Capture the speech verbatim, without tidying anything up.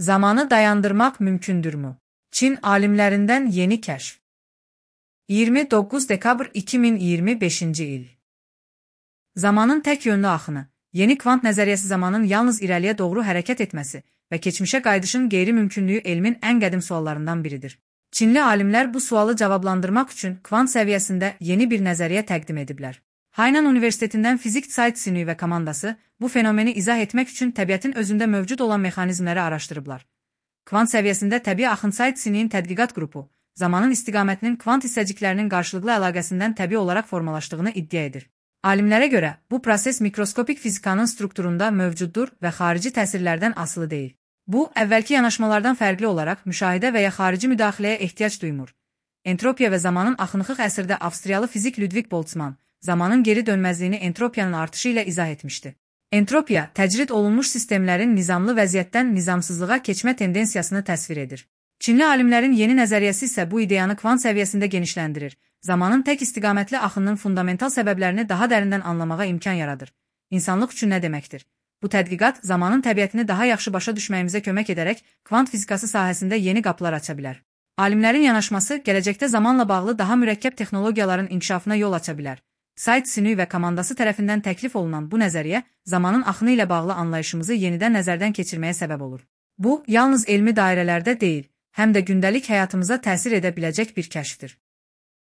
Zamanı dayandırmak mümkündürmü? Çin alimlerinden yeni keşf. yirmi dokuz dekabr iki min iyirmi beşinci il. Zamanın tek yönlü axını, yeni kvant nəzəriyyəsi zamanın yalnız irəliyə doğru hərəkət etməsi və keçmişə qayıdışın qeyri-mümkünlüyü elmin ən qədim suallarından biridir. Çinli alimlər bu sualı cavablandırmaq üçün kvant səviyyəsində yeni bir nəzəriyyə təqdim ediblər. Hainan Universitetindən fizik Cai Xinyu və komandası bu fenomeni izah etmək üçün təbiətin özündə mövcud olan mexanizmləri araşdırıblar. Kvant səviyyəsində təbii axın Cai Xinyu'nun tədqiqat qrupu, zamanın istiqamətinin kvant hissəciklərinin qarşılıqlı əlaqəsindən təbii olaraq formalaşdığını iddia edir. Alimlərə görə, bu proses mikroskopik fizikanın strukturunda mövcuddur və xarici təsirlərdən asılı deyil. Bu, əvvəlki yanaşmalardan fərqli olaraq müşahidə və ya xarici müdaxiləyə ehtiyac duymur. Entropiya və zamanın axınlıq əsrdə Avstriyalı fizik Ludwig Boltzmann, zamanın geri dönməzliyini entropiyanın artışı ilə izah etmişdi. Entropiya, təcrid olunmuş sistemlərin nizamlı vəziyyətdən nizamsızlığa keçmə tendensiyasını təsvir edir. Çinli alimlərin yeni nəzəriyyəsi isə bu ideyanı kvant səviyyəsində genişləndirir. Zamanın tək istiqamətli axınının fundamental səbəblərini daha dərindən anlamağa imkan yaradır. İnsanlıq üçün nə deməkdir? Bu tədqiqat zamanın təbiətini daha yaxşı başa düşməyimizə kömək edərək kvant fizikası sahəsində yeni qapılar aça bilər. Alimlərin yanaşması gələcəkdə zamanla bağlı daha mürəkkəb texnologiyaların inkişafına yol aça bilər. Cai Xinyu və komandası tərəfindən təklif olunan bu nəzəriyyə zamanın axını ilə bağlı anlayışımızı yenidən nəzərdən keçirməyə səbəb olur. Bu, yalnız elmi dairələrdə deyil, həm də gündəlik həyatımıza təsir edə biləcək bir kəşfdir.